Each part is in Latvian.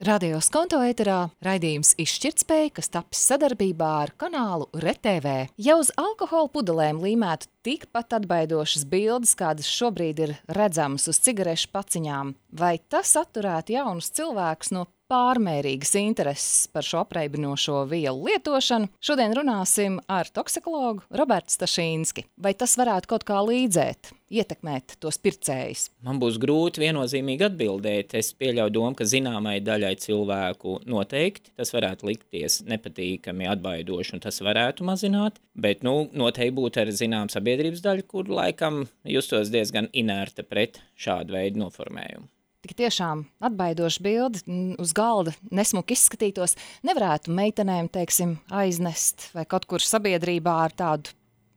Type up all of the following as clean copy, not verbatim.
Radio Skonto ēterā raidījums Izšķirtspēja, kas tapis sadarbībā ar kanālu RTV. Ja uz alkohola pudelēm līmētu tikpat atbaidošas bildes, kādas šobrīd ir redzamas uz cigarešu paciņām, vai tas atturētu jaunus cilvēkus no pārmērīgas intereses par šo apreibinošo vielu lietošanu? Šodien runāsim ar toksikologu Robertu Stašīnski. Vai tas varētu kaut kā līdzēt, ietekmēt tos pircējus? Man būs grūti viennozīmīgi atbildēt. Es pieļauju domu, ka zināmai daļai cilvēku noteikti tas varētu likties nepatīkami, atbaidoši, un tas varētu mazināt, bet noteikti būtu arī zinām sabiedrības daļa, kur laikam justos diezgan inerta pret šādu veidu noformējumu. Tik tiešām atbaidoša bilde uz galda nesmuki izskatītos, nevarētu meitenēm, teiksim, aiznest vai kaut kur sabiedrībā ar tādu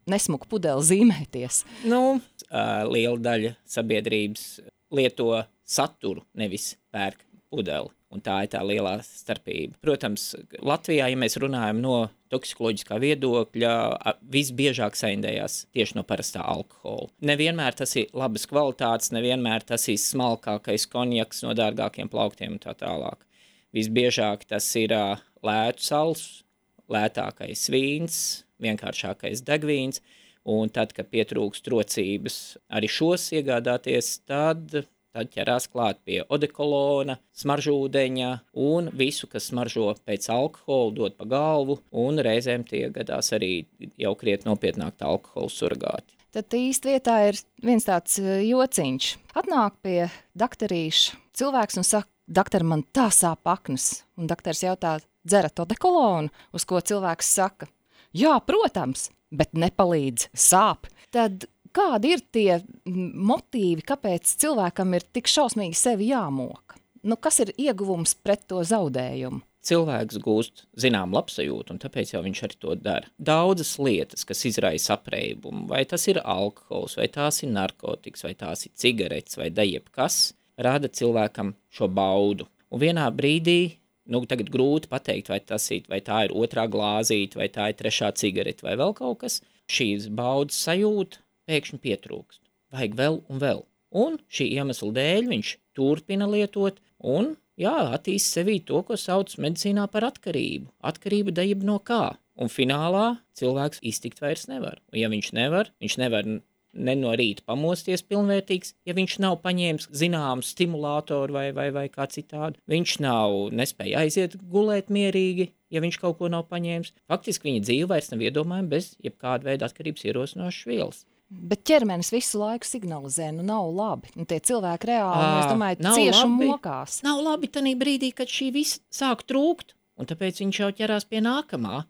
nesmuku pudeli zīmēties. Liela daļa sabiedrības lieto saturu, nevis pērk pudeli, un tā ir tā lielā starpība. Protams, Latvijā, ja mēs runājam no toksikoloģiskā viedokļa, visbiežāk saindējās tieši no parastā alkohola. Nevienmēr tas ir labas kvalitātes, nevienmēr tas ir smalkākais konjaks no dārgākiem plauktiem un tā tālāk. Visbiežāk tas ir lētu sals, lētākais vīns, vienkāršākais degvīns, un tad, kad pietrūkst rocības arī šos iegādāties, tad ķerās klāt pie odekolona, smaržūdeņa un visu, kas smaržo pēc alkohola, dod pa galvu, un reizēm tie gadās arī jau krietni nopietnāk tā alkohola surgāti. Tad īsti vietā ir viens tāds jociņš. Atnāk pie daktarīša cilvēks un saka, daktar, man tā sāp aknas. Un daktars jautā, dzerat odekolonu, uz ko cilvēks saka, jā, protams, bet nepalīdz, sāp. Tad kādi ir tie motīvi, kāpēc cilvēkam ir tik šausmīgi sevi jāmoka? Kas ir ieguvums pret to zaudējumu? Cilvēks gūst zinām labsajūtu, un tāpēc jau viņš arī to dara. Daudzas lietas, kas izraisa apreibumu, vai tas ir alkohols, vai tās ir narkotikas, vai tās ir cigaretes, vai jebkas, rada cilvēkam šo baudu. Un vienā brīdī, tagad grūti pateikt, vai tā ir otrā glāzīte, vai tā ir trešā cigarete, vai vēl kaut kas, šīs baudas sajūta pēkšņi pietrūkst. Vajag vēl un vēl. Un šī iemesla dēļ viņš turpina lietot un, attīst sevī to, ko sauc medicīnā par atkarību. Atkarība dejība no kā? Un finālā cilvēks iztikt vairs nevar. Un ja viņš nevar ne no rīta pamosties pilnvērtīgs, ja viņš nav paņēmis zināmu stimulātoru vai kā citādi. Viņš nespēja aiziet gulēt mierīgi, ja viņš kaut ko nav paņēmis. Faktiski viņa dzīve vairs nav iedomājama bez jebkāda veida atkarības ierosinošas vielas. Bet ķermenis visu laiku signalizē, nav labi. Tie cilvēki reāli, es domāju, cieši un mokās. Nav labi tanī brīdī, kad šī visa sāk trūkt, un tāpēc viņš jau ķerās pie nākamā.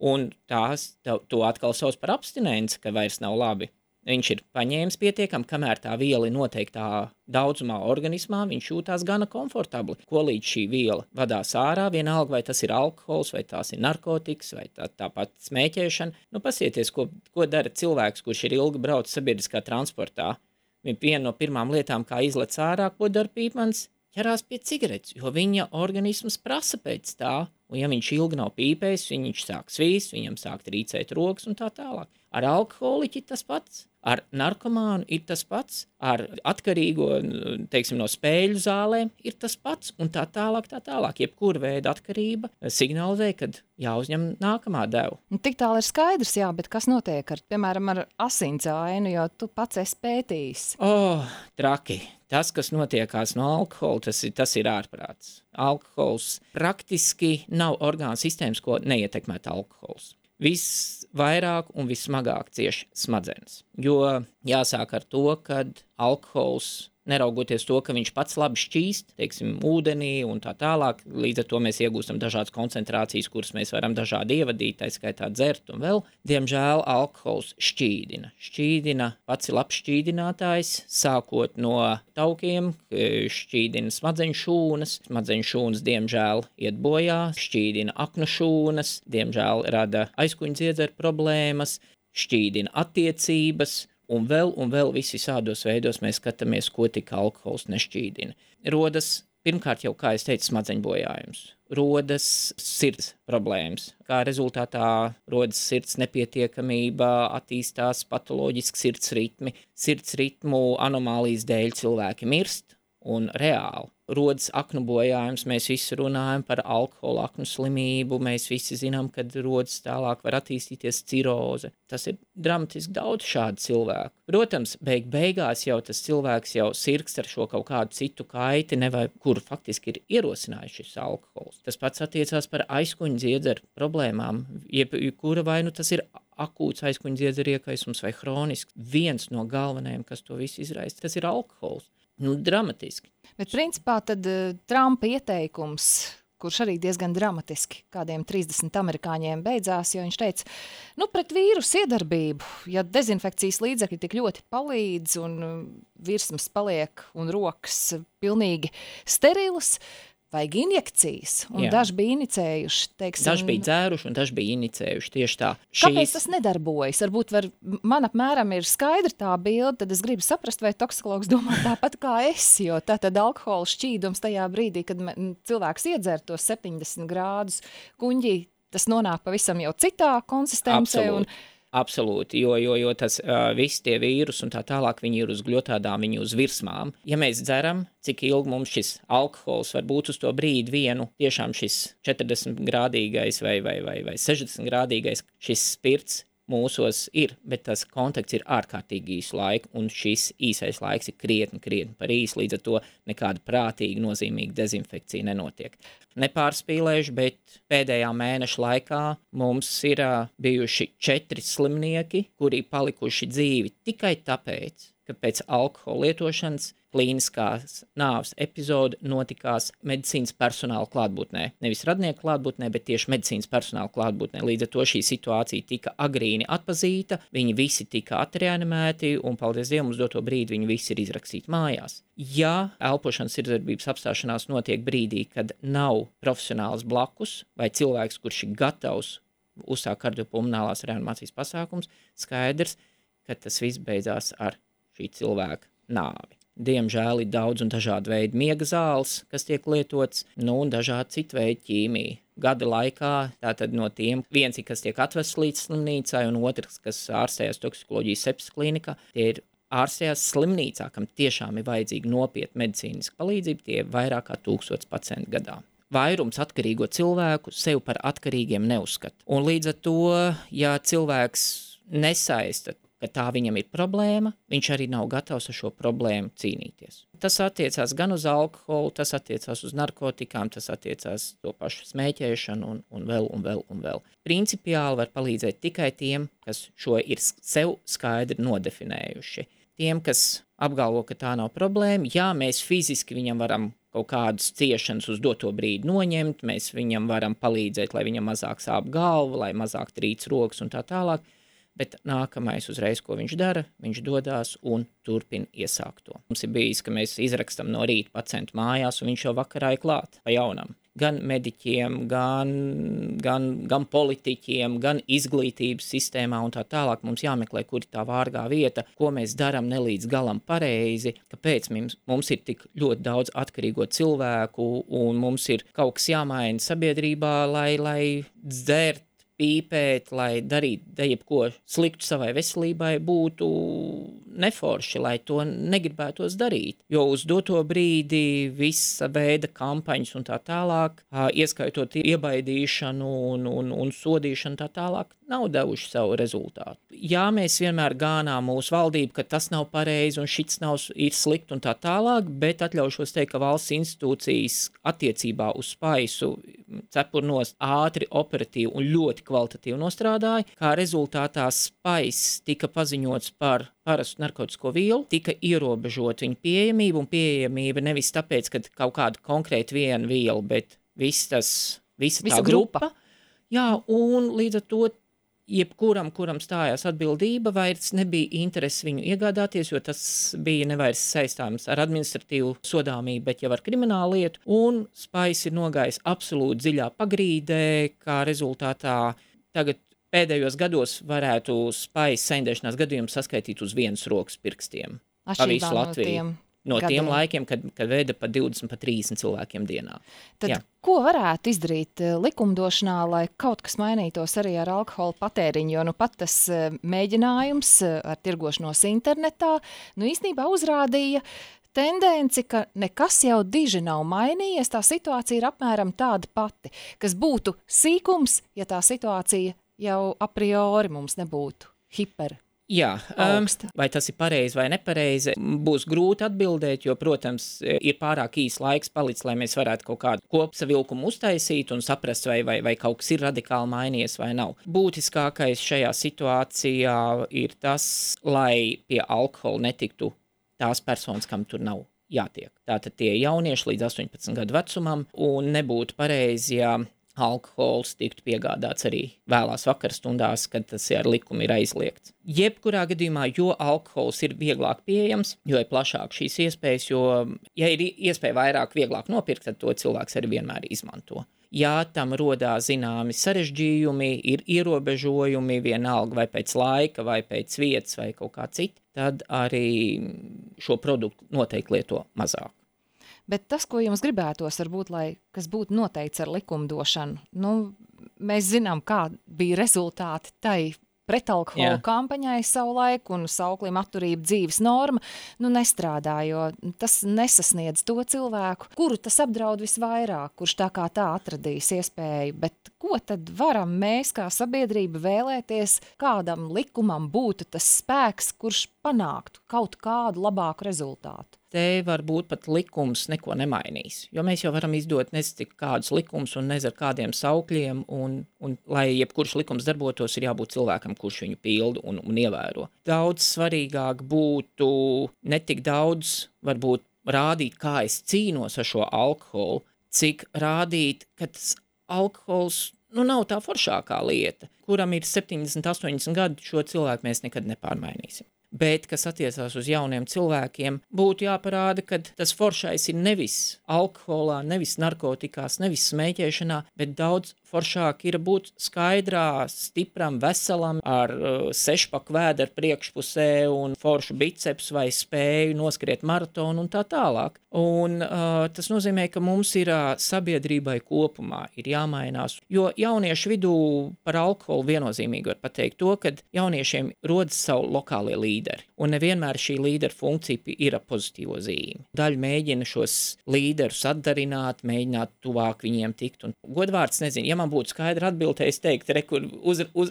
Un to atkal sauc par abstinenci, ka vairs nav labi. Viņš ir paņēmis pietiekami, kamēr tā viela ir noteiktā daudzumā organismā, viņš jūtās gana komfortabli. Ko līdz šī viela vadās ārā, vienalga vai tas ir alkohols, vai tās ir narkotikas, vai tāpat smēķēšana. Pasieties, ko dara cilvēks, kurš ir ilgi braucis sabiedriskā transportā. Viena no pirmām lietām, kā izlec ārā, ko dara pīpans, ķerās pie cigaretes, jo viņa organisms prasa pēc tā. Un ja viņš ilgi nav pīpējis, viņš sāk svīst, viņam sāk trīcēt rokas un tā tālāk. Ar alkoholiķi tas pats, ar narkomānu ir tas pats, ar atkarīgo, no spēļu zālēm ir tas pats un tā tālāk. Jebkura veida atkarība signalizē, kad jāuzņem nākamā deva. Tik tālu ir skaidrs, bet kas notiek piemēram, ar asinsainu, jo tu pats esi pētījis? Traki. Tas, kas notiekās no alkohola, tas ir ārprāts. Alkohols praktiski nav orgānu sistēmas, ko neietekmētu alkohols. Visvairāk un vissmagāk cieši smadzenes, jo jāsāk ar to, kad alkohols, neraugoties to, ka viņš pats labi šķīst, ūdenī un tā tālāk, līdz ar to mēs iegūstam dažādas koncentrācijas, kuras mēs varam dažādi ievadīt, tā skaitā dzert un vēl. Diemžēl alkohols šķīdina. Šķīdina pats ir labs šķīdinātājs, sākot no taukiem, šķīdina smadzeņu šūnas, diemžēl iet bojā, šķīdina aknu šūnas, diemžēl rada aizkuņdziedzeru problēmas, šķīdina attiecības, un vēl visādos veidos mēs skatāmies, ko tik alkohols nešķīdina. Rodas, pirmkārt jau, kā es teicu, smadzeņu bojājums. Rodas sirds problēmas. Kā rezultātā rodas sirds nepietiekamība, attīstās patoloģiski sirds ritmi. Sirds ritmu anomālijas dēļ cilvēki mirst un reāli. rodas aknu bojājums, mēs visi runājam par alkohola aknu slimību, mēs visi zinām, kad rodas tālāk var attīstīties ciroze. Tas ir dramatiski daudz šādu cilvēku. Protams, beigās jau tas cilvēks jau sirgst ar šo kaut kādu citu kaiti, kuru faktiski ir ierosinājis šis alkohols. Tas pats attiecās par aizkuņu dziedzeru problēmām, kura vai nu tas ir akūts aizkuņu dziedzeru iekaisums vai hronisks. Viens no galvenajiem, kas to visu izraisa, tas ir alkohols. Dramatiski. Bet principā tad Trumpa ieteikums, kurš arī diezgan dramatiski kādiem 30 amerikāņiem beidzās, jo viņš teica, pret vīrusu iedarbību, ja dezinfekcijas līdzekļi tik ļoti palīdz un virsmas paliek un rokas pilnīgi sterilas, vajag injekcijas, un daži bija inicējuši, teiksim... Daži bija dzēruši, un daži bija inicējuši, tieši tā. Kāpēc tas nedarbojas? Varbūt man apmēram ir skaidra tā bilde, tad es gribu saprast, vai toksikologs domā tāpat kā es, jo tātad alkohola šķīdums tajā brīdī, kad cilvēks iedzer tos 70 grādus kuņģī, tas nonāk pavisam jau citā konsistencē. Absolūti, jo tas visi tie vīrusi un tā tālāk, viņi ir uz gļotādām, viņi uz virsmām. Ja mēs dzeram, cik ilgi mums šis alkohols var būt uz to brīdi vienu, tiešām šis 40 grādīgais vai 60 grādīgais, šis spirts mūsos ir, bet tas kontakts ir ārkārtīgi īsu laiku, un šis īsais laiks ir krietni par īsu, līdz ar to nekāda prātīga, nozīmīga dezinfekcija nenotiek. Nepārspīlējuši, bet pēdējā mēneša laikā mums ir bijuši 4 slimnieki, kuri palikuši dzīvi tikai tāpēc, ka pēc alkohola lietošanas klīniskās nāves epizode notikās medicīnas personāla klātbūtnē. Nevis radnieku klātbūtnē, bet tieši medicīnas personāla klātbūtnē. Līdz ar to šī situācija tika agrīni atpazīta, viņi visi tika atreanimēti un, paldies Dievam, uz doto brīdi viņi visi ir izrakstīti mājās. Ja elpošanas sirdsdarbības apstāšanās notiek brīdī, kad nav profesionāls blakus vai cilvēks, kurš ir gatavs uzsākt kardiopulmonālās reanimācijas pasākums, skaidrs, ka tas viss beidzās ar šī cilvēka nāvi. Diemžēl ir daudz un dažādu veidu miega zāles, kas tiek lietots, un dažādi citu veidu ķīmija. Gada laikā tātad no tiem viens ir, kas tiek atvests līdz slimnīcai, un otrs, kas ārstējas toksikoloģijas sepsis klinikā, tie ir ārstējās slimnīcā, kam tiešām ir vajadzīga nopietna medicīniska palīdzība, tie ir vairāk kā 1000 pacientu gadā. Vairums atkarīgo cilvēku sev par atkarīgiem neuzskata. Un līdz ar to, ja cilvēks nesaista, ka tā viņam ir problēma, viņš arī nav gatavs ar šo problēmu cīnīties. Tas attiecās gan uz alkoholu, tas attiecās uz narkotikām, tas attiecās to pašu smēķēšanu un vēl. Principiāli var palīdzēt tikai tiem, kas šo ir sev skaidri nodefinējuši. Tiem, kas apgalvo, ka tā nav problēma, jā, mēs fiziski viņam varam kaut kādas ciešanas uz doto brīdi noņemt, mēs viņam varam palīdzēt, lai viņam mazāk sāp galva, lai mazāk trīc rokas un tā tālāk, bet nākamais uzreiz, ko viņš dara, viņš dodās un turpina iesākt to. Mums ir bijis, ka mēs izrakstam no rīta pacientu mājās, un viņš jau vakarā ir klāt pa jaunam. Gan mediķiem, gan politiķiem, gan izglītības sistēmā un tā tālāk mums jāmeklē, kur ir tā vārgā vieta, ko mēs darām ne līdz galam pareizi, kāpēc mums ir tik ļoti daudz atkarīgo cilvēku un mums ir kaut kas jāmaina sabiedrībā, lai dzert, pīpēt, lai darītu jebko sliktu savai veselībai, būtu neforši, lai to negribētos darīt. Jo uz doto brīdi visa veida kampaņas un tā tālāk, ieskaitot iebaidīšanu un sodīšanu tā tālāk, nav devuši savu rezultātu. Jā, mēs vienmēr gānām mūsu valdību, ka tas nav pareizi un šits ir slikti un tā tālāk, bet atļaušos teikt, ka valsts institūcijas attiecībā uz spaisu cepurnos ātri, operatīvi un ļoti kvalitatīvi nostrādāja, kā rezultātā spaiss tika paziņots par parastu narkotisko vielu, tika ierobežot viņa pieejamību, un pieejamība nevis tāpēc, ka kaut kāda konkrēta viena viela, bet visa tā grupa. Jā, un līdz ar to kuram stājās atbildība, vairs nebija interesi viņu iegādāties, jo tas bija nevairs saistāms ar administratīvu sodāmību, bet jau ar kriminālu lietu, un spaiss ir nogājis absolūti dziļā pagrīdē, kā rezultātā tagad pēdējos gados varētu spaiss saindēšanās gadījumus saskaitīt uz vienas rokas pirkstiem. Pa visu Latviju. No tiem laikiem, kad veda pa 20, pa 30 cilvēkiem dienā. Tad ko varētu izdarīt likumdošanā, lai kaut kas mainītos arī ar alkohola patēriņu? Jo pat tas mēģinājums ar tirgošanos internetā īstenībā uzrādīja tendenci, ka nekas jau diži nav mainījies, tā situācija ir apmēram tāda pati, kas būtu sīkums, ja tā situācija jau a priori mums nebūtu hiper. Jā, augsta. Vai tas ir pareizi vai nepareizi, būs grūti atbildēt, jo, protams, ir pārāk īs laiks palicis, lai mēs varētu kaut kādu kopsavilkumu uztaisīt un saprast, vai kaut kas ir radikāli mainījies vai nav. Būtiskākais šajā situācijā ir tas, lai pie alkohola netiktu tās personas, kam tur nav jātiek. Tātad tie jaunieši līdz 18 gadu vecumam, un nebūtu pareizi, ja alkohols tiktu piegādāts arī vēlās vakarstundās, kad tas ar likumu ir aizliegts. Jebkurā gadījumā, jo alkohols ir vieglāk pieejams, jo ir plašāk šīs iespējas, jo, ja ir iespēja vairāk vieglāk nopirkt, tad to cilvēks arī vienmēr izmanto. Ja tam rodās zināmi sarežģījumi, ir ierobežojumi, vienalga vai pēc laika, vai pēc vietas, vai kaut kā cita, tad arī šo produktu noteikti lieto mazāk. Bet tas, ko jums gribētos, varbūt, kas būtu noteikts ar likumdošanu, mēs zinām, kā bija rezultāti tai pretalkohola kampaņai savulaik un sauklim atturība dzīves norma, nestrādā, jo tas nesasniedz to cilvēku, kuru tas apdraud visvairāk, kurš tā kā tā atradīs iespēju. Bet ko tad varam mēs kā sabiedrība vēlēties, kādam likumam būtu tas spēks, kurš panāktu kaut kādu labāku rezultātu? Te varbūt pat likums neko nemainīs, jo mēs jau varam izdot nezinu kādus likumus un nezinu kādiem saukļiem, un lai jebkurš likums darbotos, ir jābūt cilvēkam, kurš viņu pilda un ievēro. Daudz svarīgāk būtu ne tik daudz varbūt rādīt, kā es cīnos ar šo alkoholu, cik rādīt, ka tas alkohols nav tā foršākā lieta, kuram ir 70, 80 gadu, šo cilvēku mēs nekad nepārmainīsim. Bet, kas attiecās uz jauniem cilvēkiem, būtu jāparāda, ka tas foršais ir nevis alkoholā, nevis narkotikās, nevis smēķēšanā, bet daudz foršāk ir būt skaidrā, stipram, veselam, ar sešpaku vēderu priekšpusē un foršu biceps vai spēju noskriet maratonu un tā tālāk. Un tas nozīmē, ka mums ir sabiedrībai kopumā ir jāmainās, jo jauniešu vidū par alkoholu viennozīmīgi var pateikt to, ka jauniešiem rodas savu lokālie līderi, un nevienmēr šī līderu funkcija ir ar pozitīvo zīmi. Daļa mēģina šos līderus atdarināt, mēģināt tuvāk viņiem tikt, un godvārds nezinu, ja man būtu skaidra atbilde, es teiktu, kur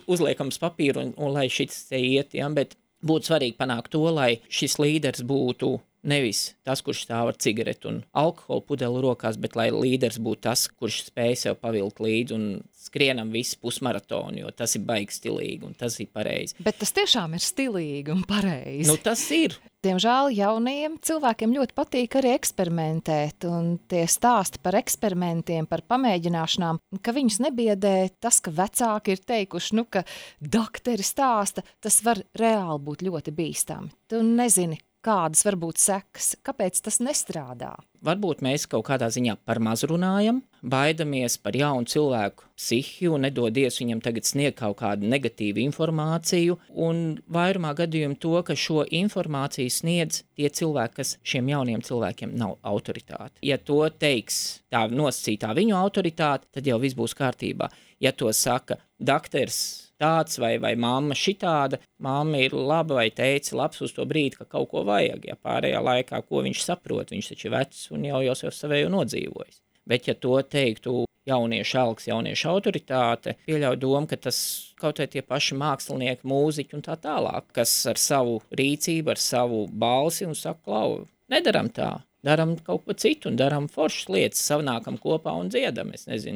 uzliekams papīru un lai šis te iet, bet būtu svarīgi panākt to, lai šis līderis būtu nevis tas, kurš stāv ar cigaretu un alkoholu pudeli rokās, bet lai līderis būtu tas, kurš spēj sev pavilkt līdzi un skrienam visu pusmaratonu, jo tas ir baigi stilīgi un tas ir pareizi. Bet tas tiešām ir stilīgi un pareizi. Tas ir. Diemžēl jaunajiem cilvēkiem ļoti patīk arī eksperimentēt, un tie stāsti par eksperimentiem, par pamēģināšanām, ka viņus nebiedē tas, ka vecāki ir teikuši, ka dakteri stāsta, tas var reāli būt ļoti bīstami. Tu nezini, kādas var būt sekas, kāpēc tas nestrādā. Varbūt mēs kaut kādā ziņā par maz runājam, baidamies par jaunu cilvēku psihiju, nedodies viņam tagad sniegt kaut kādu negatīvu informāciju, un vairumā gadījumu to, ka šo informāciju sniedz tie cilvēki, kas šiem jauniem cilvēkiem nav autoritāte. Ja to teiks tā nosacītā viņu autoritāte, tad jau viss būs kārtībā. Ja to saka dakteris tāds vai mamma šitāda, mamma ir laba vai teica labs uz to brīdi, ka kaut ko vajag, ja pārējā laikā, ko viņš saprot, viņš taču ir vecs un jau savēju nodzīvojis. Bet ja to teiktu jauniešu alks, jauniešu autoritāte, pieļauj domu, ka tas kaut vai tie paši mākslinieki, mūziķi un tā tālāk, kas ar savu rīcību, ar savu balsi un saka, klau, nedaram tā. Daram kaut ko citu un daram foršas lietas, savnākam kopā un dziedam,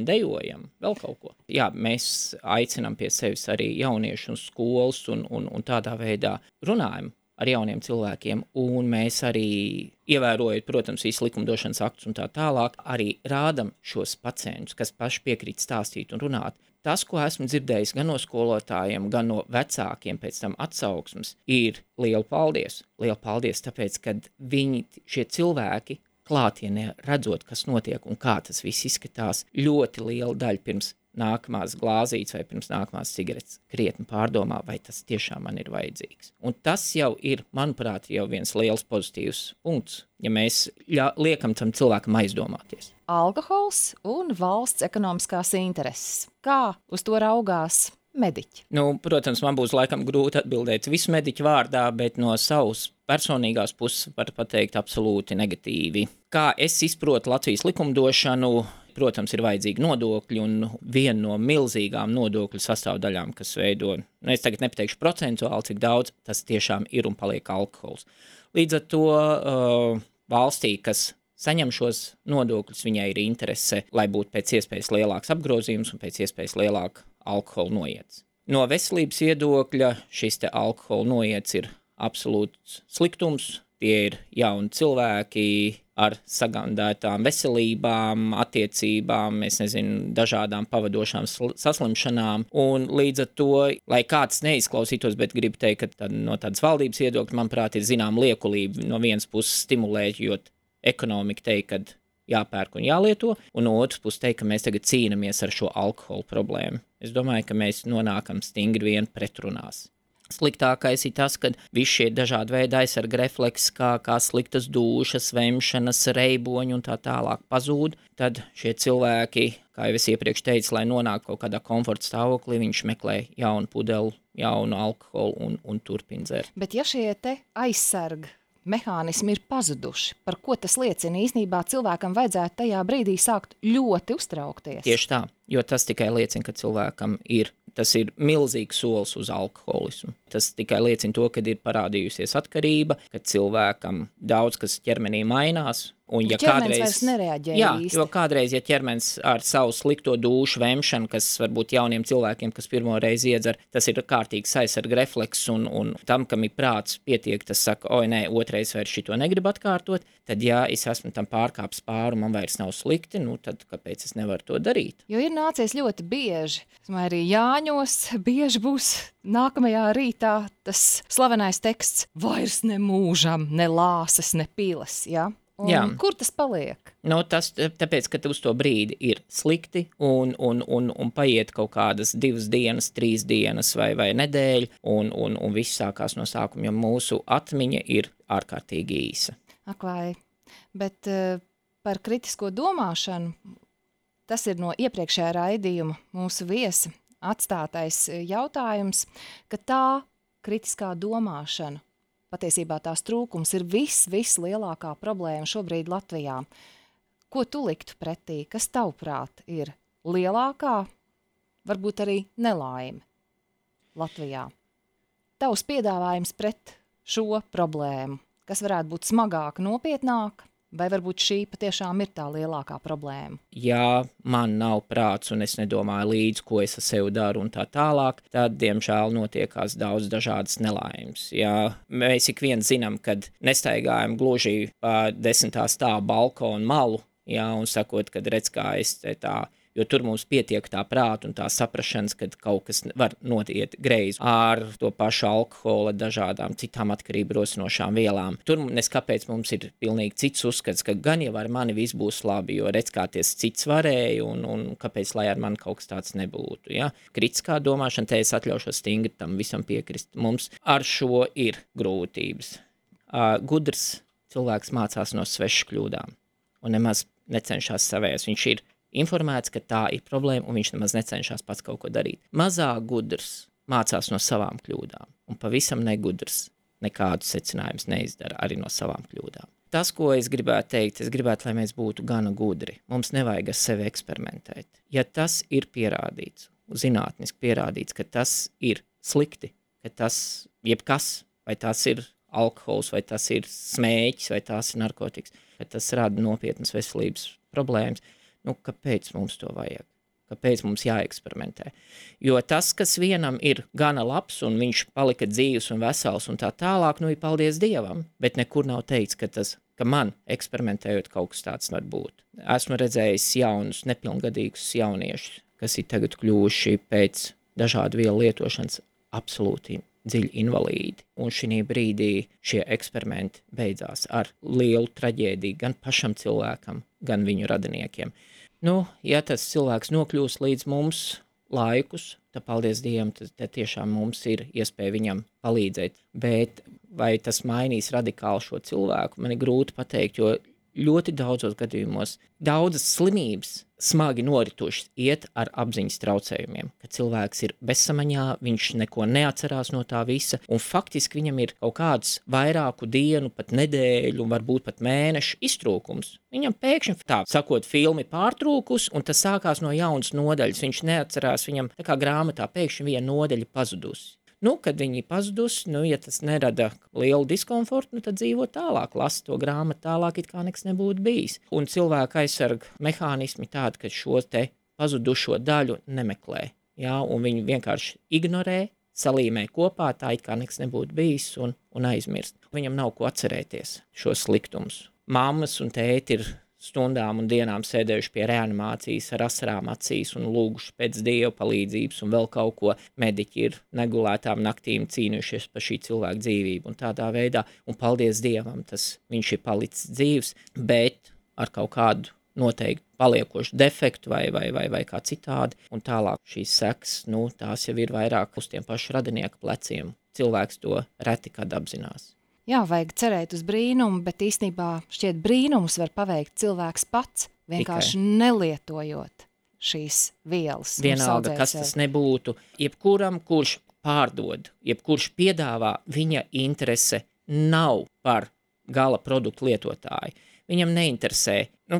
dejojam, vēl kaut ko. Jā, mēs aicinām pie sevis arī jauniešu un skolas un tādā veidā runājam ar jauniem cilvēkiem, un mēs arī ievērojot, protams, visu likumdošanas aktus un tā tālāk, arī rādam šos pacientus, kas paši piekrīt stāstīt un runāt. Tas, ko esmu dzirdējis gan no skolotājiem, gan no vecākiem pēc tam atsauksmes, ir liela paldies. Liela paldies, tāpēc, kad viņi, šie cilvēki, klātienē redzot, kas notiek un kā tas viss izskatās, ļoti liela daļa pirms nākamās glāzītes vai pirms nākamās cigaretes krietni pārdomā, vai tas tiešām man ir vajadzīgs. Un tas jau ir, manuprāt, jau viens liels pozitīvs punkts, ja mēs liekam tam cilvēkam aizdomāties. Alkohols un valsts ekonomiskās intereses. Kā uz to raugās mediķi? Protams, man būs laikam grūti atbildēt visu mediķu vārdā, bet no savas personīgās puses var pateikt absolūti negatīvi. Kā es izprotu Latvijas likumdošanu, protams, ir vajadzīgi nodokļi, un viena no milzīgām nodokļu sastāvdaļām, kas veido, es tagad nepateikšu procentuāli, cik daudz, tas tiešām ir un paliek alkohols. Līdz ar to valstī, kas saņem šos nodokļus, viņai ir interese, lai būtu pēc iespējas lielāks apgrozījums un pēc iespējas lielāka alkohola noiets. No veselības viedokļa šis te alkohola noiets ir absolūts sliktums, tie ir jauni cilvēki ar sagandētām veselībām, attiecībām, dažādām pavadošām saslimšanām, un līdz ar to, lai kāds neizklausītos, bet gribu teikt, ka no tādas valdības viedokļa, manuprāt, ir zinām liekulība no vienas puses stimulējot ekonomiku teikt, kad jāpērk un jālieto, un no otras puses teikt, ka mēs tagad cīnamies ar šo alkoholu problēmu. Es domāju, ka mēs nonākam stingri vien pretrunās. Sliktākais ir tas, ka visi šie dažādi veidi aizsarga refleksi, kā sliktas dūšas, vemšanas, reiboņi un tā tālāk pazūd, tad šie cilvēki, kā jau es iepriekš teicu, lai nonāk kaut kādā komforta stāvoklī, viņš meklē jaunu pudeli, jaunu alkoholu un turpina dzert. Bet ja šie te aizsarga mehānismi ir pazuduši, par ko tas liecina? Īsnībā cilvēkam vajadzētu tajā brīdī sākt ļoti uztraukties. Tieši tā, jo tas tikai liecina, ka cilvēkam tas ir milzīgs solis uz alkoholismu. Tas tikai liecina to, ka ir parādījusies atkarība, ka cilvēkam daudz kas ķermenī mainās. Un ja ķermenis vairs nereaģē īsti. Jo kādreiz, ja ķermenis ar savu slikto dūšu vemšanu, kas varbūt jauniem cilvēkiem, kas pirmo reizi iedzer, tas ir kārtīgs aizsarga refleks, un tam, kam ir prāts pietiek, tas saka, oi, nē, otrais vairs šito negribu atkārtot, tad, ja es esmu tam pārkāpis pāri, man vairs nav slikti, tad kāpēc es nevaru to darīt? Jo ir nācies ļoti bieži, arī Jāņos bieži būs nākamajā rītā tas slavenais teksts, vairs ne mūžam, ne lāses, ne piles, ja? Kur tas paliek? Tas tāpēc, ka uz to brīdi ir slikti un paiet kaut kādas 2 dienas, 3 dienas vai nedēļa, un viss sākās no sākuma, jo mūsu atmiņa ir ārkārtīgi īsa. Ak vai, bet par kritisko domāšanu, tas ir no iepriekšējā raidījuma mūsu viesa atstātais jautājums, ka tā kritiskā domāšana, patiesībā tās trūkums ir vislielākā problēma šobrīd Latvijā. Ko tu liktu pretī? Kas tavuprāt ir lielākā, varbūt arī nelaime Latvijā? Tavs piedāvājums pret šo problēmu, kas varētu būt smagāk, nopietnāk, vai varbūt šī patiešām ir tā lielākā problēma? Ja man nav prāts un es nedomāju līdzi, ko es ar sevi daru un tā tālāk, tad, diemžēl, notiekās daudz dažādas nelaimes. Ja mēs ik viens zinām, kad nestaigājam gluži pa 10. stāva balkonu malu, un sakot, kad redz, kā es tā, jo tur mums pietiek tā prāta un tā saprašanas, kad kaut kas var notiet greizi ar to pašu alkohola, dažādām citām atkarību rosinošām vielām. Tur neskapēc mums ir pilnīgi cits uzskats, ka gan jau ar mani viss būs labi, jo redz, kā ties cits varēja un kāpēc, lai ar mani kaut kas tāds nebūtu. Ja? Kritiskā domāšana, te es atļaušos stingri tam visam piekrist. Mums ar šo ir grūtības. Gudrs cilvēks mācās no svešas kļūdām un nemaz necenšas savējās. Viņš ir informēts, ka tā ir problēma, un viņš nemaz necenšas pats kaut ko darīt. Mazāk gudrs mācās no savām kļūdām, un pavisam negudrs nekādus secinājumus neizdara arī no savām kļūdām. Tas, ko es gribētu teikt, es gribētu, lai mēs būtu gana gudri. Mums nevajag ar sevi eksperimentēt. Ja tas ir pierādīts, zinātniski pierādīts, ka tas ir slikti, ka tas jebkas, vai tas ir alkohols, vai tas ir smēķis, vai tas ir narkotikas, ka tas rada nopietnas veselības problēmas, kāpēc mums to vajag? Kāpēc mums jāeksperimentē? Jo tas, kas vienam ir gana labs un viņš palika dzīvs un vesels un tā tālāk, ir paldies Dievam, bet nekur nav teikts, ka man eksperimentējot kaut kas tāds var būt. Esmu redzējis jaunus, nepilngadīgus jauniešus, kas ir tagad kļuvuši pēc dažādu vielu lietošanas absolūti dziļi invalīdi. Un šī brīdī šie eksperimenti beidzās ar lielu traģēdiju gan pašam cilvēkam, gan viņu radiniekiem. Ja tas cilvēks nokļūs līdz mums laikus, tad paldies Dievam, tad tiešām mums ir iespēja viņam palīdzēt. Bet vai tas mainīs radikāli šo cilvēku, man ir grūti pateikt, jo ļoti daudzos gadījumos daudzas slimības smagi noritošas iet ar apziņas traucējumiem, ka cilvēks ir bezsamaņā, viņš neko neatcerās no tā visa, un faktiski viņam ir kaut kāds vairāku dienu, pat nedēļu, varbūt pat mēnešu iztrūkums. Viņam pēkšņi tā, sakot, filmi pārtrūkus, un tas sākās no jaunas nodaļas, viņš neatcerās, viņam tā kā grāmatā pēkšņi viena nodaļa pazudusi. Kad viņi pazudus, ja tas nerada lielu diskomfortu, tad dzīvo tālāk, lasa to grāmatu tālāk, it kā nekas nebūtu bijis. Un cilvēka aizsarga mehānismi tādi, ka šo te pazudušo daļu nemeklē, un viņi vienkārši ignorē, salīmē kopā, tā it kā nekas nebūtu bijis un aizmirst. Viņam nav ko atcerēties šos sliktumus. Mammas un tēti ir stundām un dienām sēdējuši pie reanimācijas ar asarām acīs un lūguši pēc Dieva palīdzības un vēl kaut ko. Mediķi ir negulētām naktīm cīnījušies par šī cilvēka dzīvību un tādā veidā, un paldies Dievam, viņš ir palicis dzīvs, bet ar kaut kādu noteikti paliekošu defektu vai kā citādi, un tālāk šīs sekas, tās jau ir vairāk uz tiem pašu radinieku pleciem. Cilvēks to reti kad apzinās. Jā, vajag cerēt uz brīnumu, bet īstenībā šķiet brīnumus var paveikt cilvēks pats, vienkārši nelietojot šīs vielas. Vienalga, kas tas nebūtu, jebkuram, kurš pārdod, jebkurš piedāvā, viņa interese nav par gala produktu lietotāju. Viņam neinteresē,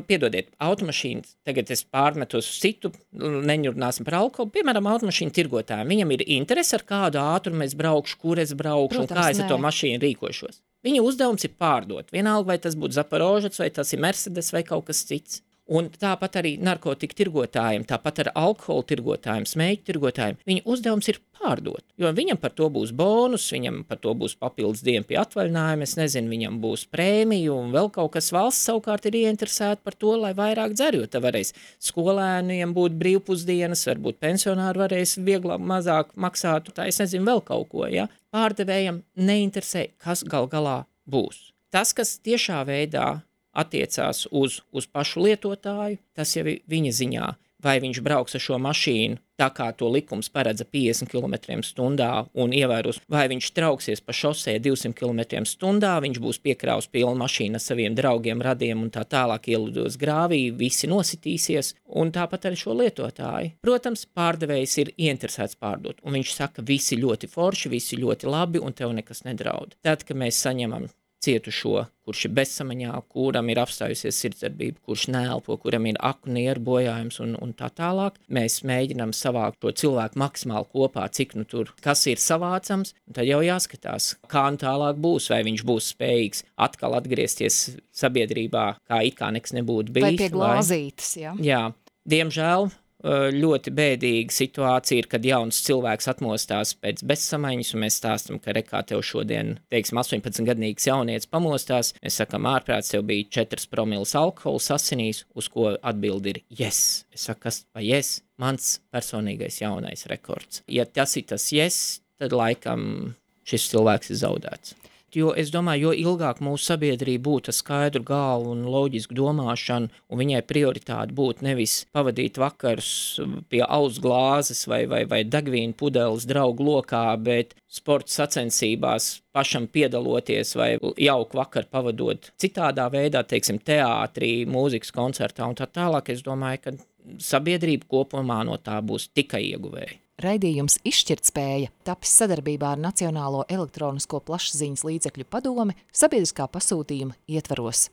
piedodiet, automašīnas, tagad es pārmetu uz citu, neņurināsim par alkoholu, piemēram, automašīnu tirgotājiem. Viņam ir interese, ar kādu ātrumu es braukšu, kur es braukšu, protams, un kā es ar to mašīnu rīkošos. Viņa uzdevums ir pārdot, vienalga, vai tas būtu Zaporožets, vai tas ir Mercedes, vai kaut kas cits. Un tāpat arī narkotiku tirgotājiem, tāpat ar alkoholu tirgotājiem, smēķu tirgotājiem, viņa uzdevums ir pārdot, jo viņam par to būs bonus, viņam par to būs papildus diena pie atvaļinājuma, es nezinu, viņam būs prēmija un vēl kaut kas. Valsts savukārt ir ieinteresēta par to, lai vairāk dzer, jo te varēs skolēniem būt brīvpusdienas, varbūt pensionāri varēs vieglāk, mazāk maksāt, tā es nezinu, vēl kaut ko, ja? Pārdevējam neinteresē, kas gal galā būs. Tas, kas tiešā veidā attiecās uz pašu lietotāju, tas jau ir viņa ziņā, vai viņš brauks ar šo mašīnu tā kā to likums paredza 50 km/h un ievēros, vai viņš trauksies pa šosē 200 km/h, viņš būs piekraus pilnu mašīnu ar saviem draugiem, radiem un tā tālāk ielidos grāvī, visi nositīsies, un tāpat arī šo lietotāju. Protams, pārdevējs ir ieinteresēts pārdot, un viņš saka, visi ļoti forši, visi ļoti labi, un tev nekas nedraud. Tad, kad mēs saņemam cietušo, kurš ir bezsamaņā, kuram ir apstājusies sirdsdarbība, kurš neelpo, kuram ir akunieru bojājums un tā tālāk. Mēs mēģinām savākt to cilvēku maksimāli kopā, cik tur, kas ir savācams, un tad jau jāskatās, kā tālāk būs, vai viņš būs spējīgs atkal atgriezties sabiedrībā, kā it kā nekas nebūtu bijis. Vai pie glāzītes, jā. Jā, diemžēl ļoti bēdīga situācija ir, kad jauns cilvēks atmostās pēc bezsamaņas, un mēs stāstam, ka rekā tev šodien, 18-gadīgs jaunietis pamostās, mēs sakam, ārprāts, tev bija 4 promils alkohols asinīs, uz ko atbildi ir yes. Es saku, kas pa yes? Mans personīgais jaunais rekords. Ja tas ir tas yes, tad laikam šis cilvēks ir zaudēts. Jo es domāju, jo ilgāk mūsu sabiedrība būtu ar skaidru galvu un loģisku domāšanu, un viņai prioritāte būtu nevis pavadīt vakarus pie alus glāzes vai degvīnu pudeles draugu lokā, bet sporta sacensībās pašam piedaloties vai jauku vakaru pavadot citādā veidā, teiksim, teātrī, mūzikas koncertā un tā tālāk. Es domāju, ka sabiedrība kopumā no tā būs tikai ieguvēja. Raidījums Izšķirtspēja tapis sadarbībā ar Nacionālo elektronisko plašsaziņas līdzekļu padome sabiedriskā pasūtījuma ietvaros.